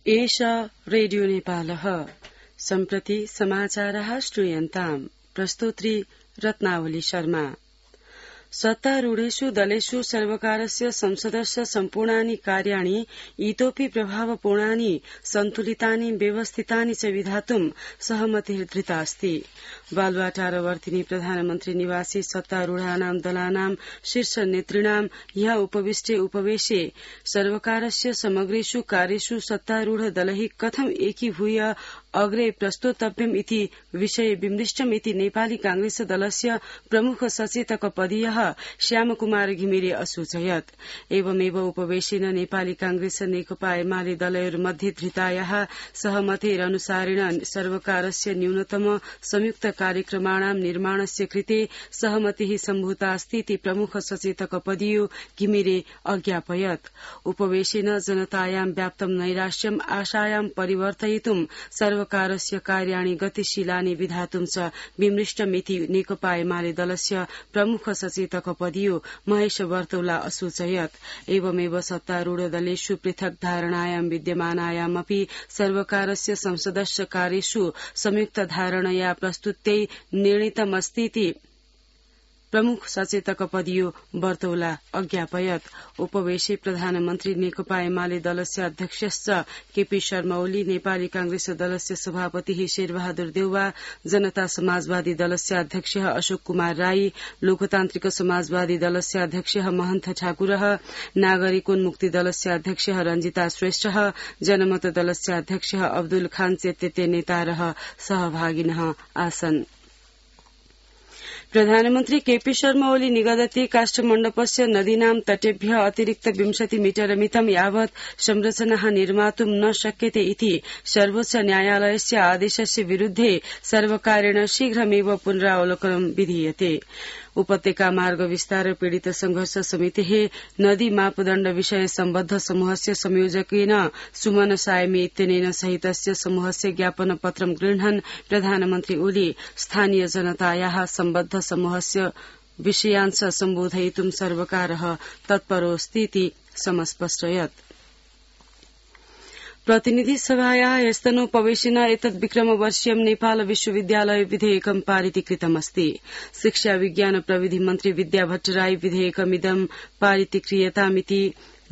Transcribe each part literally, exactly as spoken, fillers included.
एषा रेडियो नेपालः सम्प्रति समाचारः श्रूयन्ताम् प्रस्तोत्री रत्नावली शर्मा। सत्तारूढेषु दलेषु सर्वकारस्य संसदस्य सम्पूर्णानि कार्याणि इतोऽपि प्रभावपूर्णानि सन्तुलितानि व्यवस्थितानि च विधातुं सहमतिर्धृता अस्ति। बालुवाटारवर्तिनी प्रधानमन्त्री निवासी सत्तारूढानां दलानां शीर्ष नेतृणां ह्य उपविष्टे उपवेशे सर्वकारस्य समग्रेषु कार्येषु सत्तारूढ दलैः कथं एकीभूय अग्रे प्रस्तोतव्यम् इति विषये विमृष्टम् इति नेपाली कांग्रेस दलस्य प्रमुख सचेतक पदीयः श्यामकुमार घिमिरे असूचयत्। एवमेव उपवेशेन नेपाली कांग्रेस नेकपा एमाले दलयोर्मध्ये धृतायाः सहमतेरनुसारेण सर्वकारस्य न्यूनतम संयुक्त कार्यक्रमाणां निर्माणस्य कृते सहमतिः सम्भूता अस्ति इति प्रमुख सचेतक पदीयो घिमिरे अज्ञापयत्। उपवेशेन जनतायां व्याप्तं नैराश्यम् आशायां परिवर्तयितुं सर्वकारस्य कार्याणि गतिशीलानि विधातुं च विमृष्टमिति नेकपा एमाले दलस्य प्रमुख सचेतक पदीयो महेश वर्तौला असूचयत्। एवमेव सत्तारूढ दलेषु पृथक् धारणायां विद्यमानायामपि सर्वकारस्य संसदस्य कार्येषु संयुक्त धारणया प्रस्तुत्यै निर्णीतमस्तीति प्रमुख सचेतक पदीयो वर्तौला अज्ञापयत्। उपवेशे प्रधानमन्त्री नेकपा एमाले दलस्य अध्यक्षश्च केपी शर्मा ओली, नेपाली कांग्रेस दलस्य सभापति शेरबहादुर देउवा, जनता समाजवादी दलस्य अध्यक्ष अशोक कुमार राई, लोकतान्त्रिक समाजवादी दलस्य अध्यक्ष महन्त ठाकुर, नागरिकोन्मुक्ति दलस्य अध्यक्ष रंजिता श्रेष्ठ, जनमत दलस्य अध्यक्ष अब्दुल खान चेत्यते नेतारः सहभागिनः आसन्। प्रधानमन्त्री केपी शर्मा ओली निगदति काष्ठमण्डपस्य नदीनां तटेभ्य अतिरिक्त विंशति मीटर मितं यावत् संरचनाः निर्मातुं न शक्यते इति सर्वोच्च न्यायालयस्य आदेशस्य विरुद्धे सर्वकारेण शीघ्रमेव पुनरावलोकनं विधीयते। उपत्यका मार्ग विस्तार पीड़ित संघर्ष समितिः नदी मापदण्ड विषय सम्बद्ध समूहस्य संयोजकेन सुमन सायमी इत्यनेन सहितस्य समूहस्य ज्ञापन पत्रं गृह्णन् प्रधानमन्त्री ओली स्थानीय जनतायाः सम्बद्ध समूहस्य विषयांश सम्बोधयितुं सर्वकारः तत्परोऽस्तीति समस्पष्टयत्। प्रतिनिधि सभायाः ह्यस्तनोपवेशेन एतद् विक्रमवर्षीयं नेपाल विश्वविद्यालय विधेयकं पारितीकृतमस्ति। शिक्षा विज्ञान प्रविधि मन्त्री विद्या भट्टराई विधेयकमिदं पारितीक्रियतामिति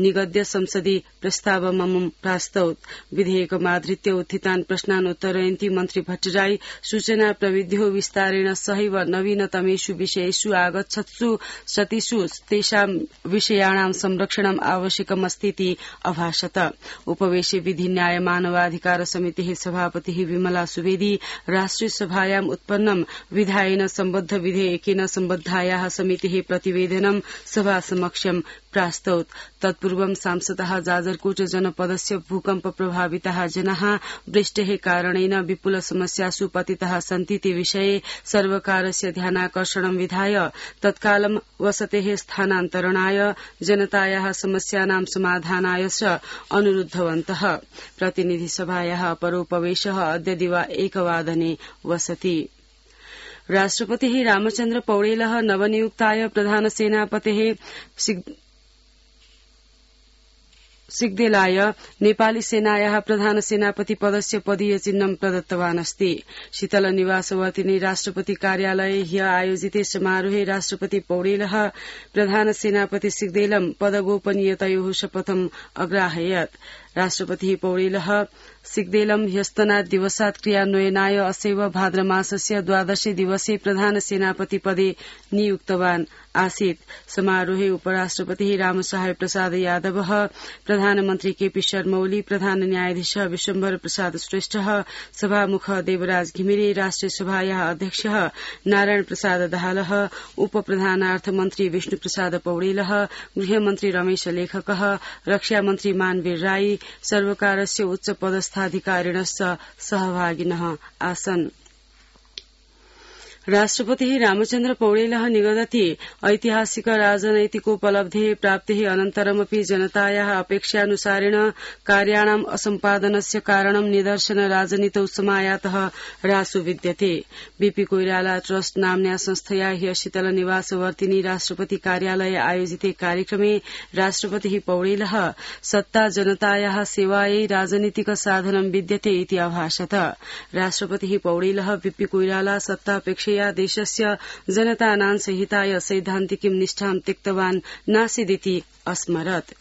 निगद्य संसदि प्रस्तावममुं प्रास्तौत्। विधेयकमाधृत्य उत्थितान् प्रश्नान् उत्तरयन्ती मन्त्री भट्टराई सूचना प्रविध्यो विस्तारेण सहैव नवीनतमेषु विषयेषु आगच्छत्सु सतिषु तेषां विषयाणां संरक्षणम् आवश्यकमस्तीति अभाषत। उपवेशे विधि न्याय मानवाधिकार समितिः सभापतिः विमला सुवेदी राष्ट्रिय सभायाम् उत्पन्नं विधायेन सम्बद्ध विधेयकेन सम्बद्धायाः समितिः प्रतिवेदनं सभा समक्षं प्रास्तौत्। तत्पूर्वं सांसदः जाजरकोट जनपदस्य भूकम्प प्रभाविताः जनाः वृष्टेः कारणेन विपुल समस्यासु पतिताः सन्तीति विषये सर्वकारस्य ध्यानाकर्षणं विधाय तत्कालं वसतेः स्थानान्तरणाय जनतायाः समस्यानां समाधानाय च अनुरुद्धवन्तः। प्रतिनिधि सभायाः अपरोपवेशः अद्य दिवा एकवादने वसति। राष्ट्रपतिः रामचन्द्र पौडेलः नवनियुक्ताय प्रधानसेनापतेः सिग्देलाय नेपाली सेनायाः प्रधान सेनापति पदस्य पदीय चिह्नं प्रदत्तवान् अस्ति। शीतल निवासवर्तिनी राष्ट्रपति कार्यालये ह्य आयोजिते समारोहे राष्ट्रपति पौडेलः प्रधान सेनापति सिग्देलं पदगोपनीयतयोः शपथम् अग्राहयत्। राष्ट्रपतिः पौडेलः सिग्देलं ह्यस्तनात् दिवसात् क्रियान्वयनाय असैव भाद्रमासस्य द्वादशे दिवसे प्रधान सेनापति पदे नियुक्तवान् आसीत्। समारोहे उपराष्ट्रपतिः रामसहाय प्रसाद यादवः, प्रधानमन्त्री केपी शर्मा ओली, प्रधान न्यायाधीश विश्वम्भर प्रसाद श्रेष्ठ, सभामुख देवराज घिमिरे, राष्ट्रिय सभायाः अध्यक्ष नारायण प्रसाद दाहालः, उप प्रधानार्थ मन्त्री विष्णु प्रसाद पौडेलः, गृहमन्त्री रमेश लेखकः, रक्षामन्त्री मानवीर राई, सर्वकारस्य उच्च पदस्थाधिकारिणश्च सहभागिनः आसन्। राष्ट्रपतिः रामचन्द्र पौडेलः निगदति ऐतिहासिक राजनैतिकोपलब्धेः प्राप्तेः अनन्तरमपि जनतायाः अपेक्षानुसारेण कार्याणाम् असम्पादनस्य कारणं निदर्शन राजनीतौ समायातः ह्रासो विद्यते। बीपी कोइराला ट्रस्ट नाम्न्या संस्थया ह्य शीतल निवासवर्तिनी राष्ट्रपति कार्यालये आयोजिते कार्यक्रमे राष्ट्रपतिः पौडेलः सत्ता जनतायाः सेवायै राजनीतिक साधनं विद्यते इति अभाषत। राष्ट्रपतिः पौडेलः बीपी कोइराला सत्तापेक्षया देशस्य जनतानां सहिताय सैद्धान्तिकीं निष्ठां त्यक्तवान् नासीदिति अस्मरत्।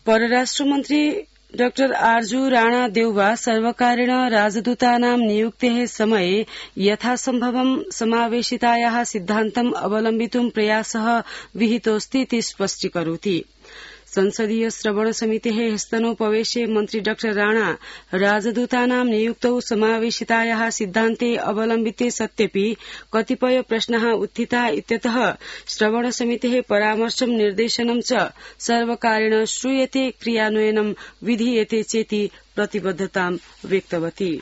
परराष्ट्रमन्त्री डाक्टर आर्जू राणा देउवा सर्वकारेण राजदूतानां नियुक्तेः समये यथासम्भवं समावेशितायाः सिद्धान्तम् अवलम्बितुं प्रयासः विहितोऽस्ति इति स्पष्टीकरोति। संसदीय श्रवण समितेः स्तनोपवेशे मन्त्री डाक्टर राणा राजदूतानां नियुक्तौ समावेशितायाः सिद्धान्ते अवलम्बिते सत्यपि कतिपय प्रश्नाः उत्थिता इत्यतः श्रवण समितेः परामर्शं निर्देशनं च सर्वकारेण श्रूयते क्रियान्वयनं विधीयते चेति प्रतिबद्धतां व्यक्तवती।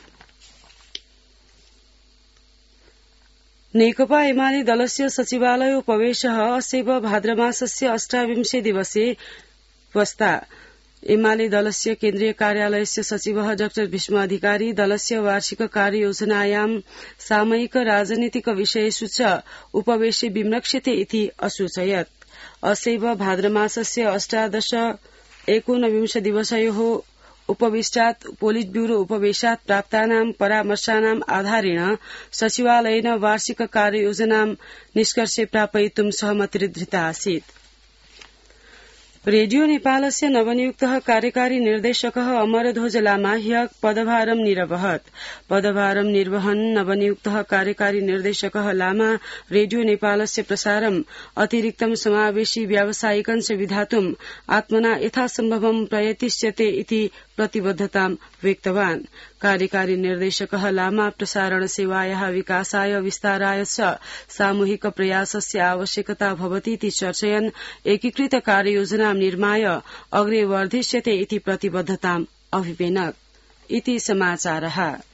नेकपा एमाले दलस्य सचिवालयोपवेशः अस्यैव भाद्रमासस्य अष्टाविंशे दिवसे वस्ता। एमाले दलस्य केन्द्रीय कार्यालयस्य सचिवः डाक्टर भीष्म अधिकारी दलस्य वार्षिक कार्ययोजनायां सामयिक राजनीतिक विषयेषु च उपवेशे विम्रक्ष्यते इति असूचयत्। अस्यैव भाद्रमासस्य अष्टादश एकोनविंश दिवसयोः उपविष्टात् पोलिट ब्यूरो उपवेशात् प्राप्तानां परामर्शानाम् आधारेण सचिवालयेन वार्षिक कार्ययोजनां निष्कर्षे प्रापयितुं सहमतिर्धृता आसीत्। रेडियो नेपालस्य नवनियुक्तः कार्यकारी निर्देशकः अमरध्वज लामा ह्यः पदभारं निरवहत्। पदभारं निर्वहन् नवनियुक्तः कार्यकारी निर्देशकः लामा रेडियो नेपालस्य प्रसारम् अतिरिक्तं समावेशी व्यावसायिकञ्च विधातुम् आत्मना यथासम्भवं प्रयतिष्यते इति प्रतिबद्धतां व्यक्तवान्। कार्यकारी निर्देशकः लामा प्रसारण सेवायाः विकासाय विस्ताराय च सामूहिक प्रयासस्य आवश्यकता भवतीति चर्चयन् एकीकृत कार्ययोजनां निर्माय अग्रे वर्धिष्यते इति प्रतिबद्धताम् अभिपेनत्। इति समाचारः।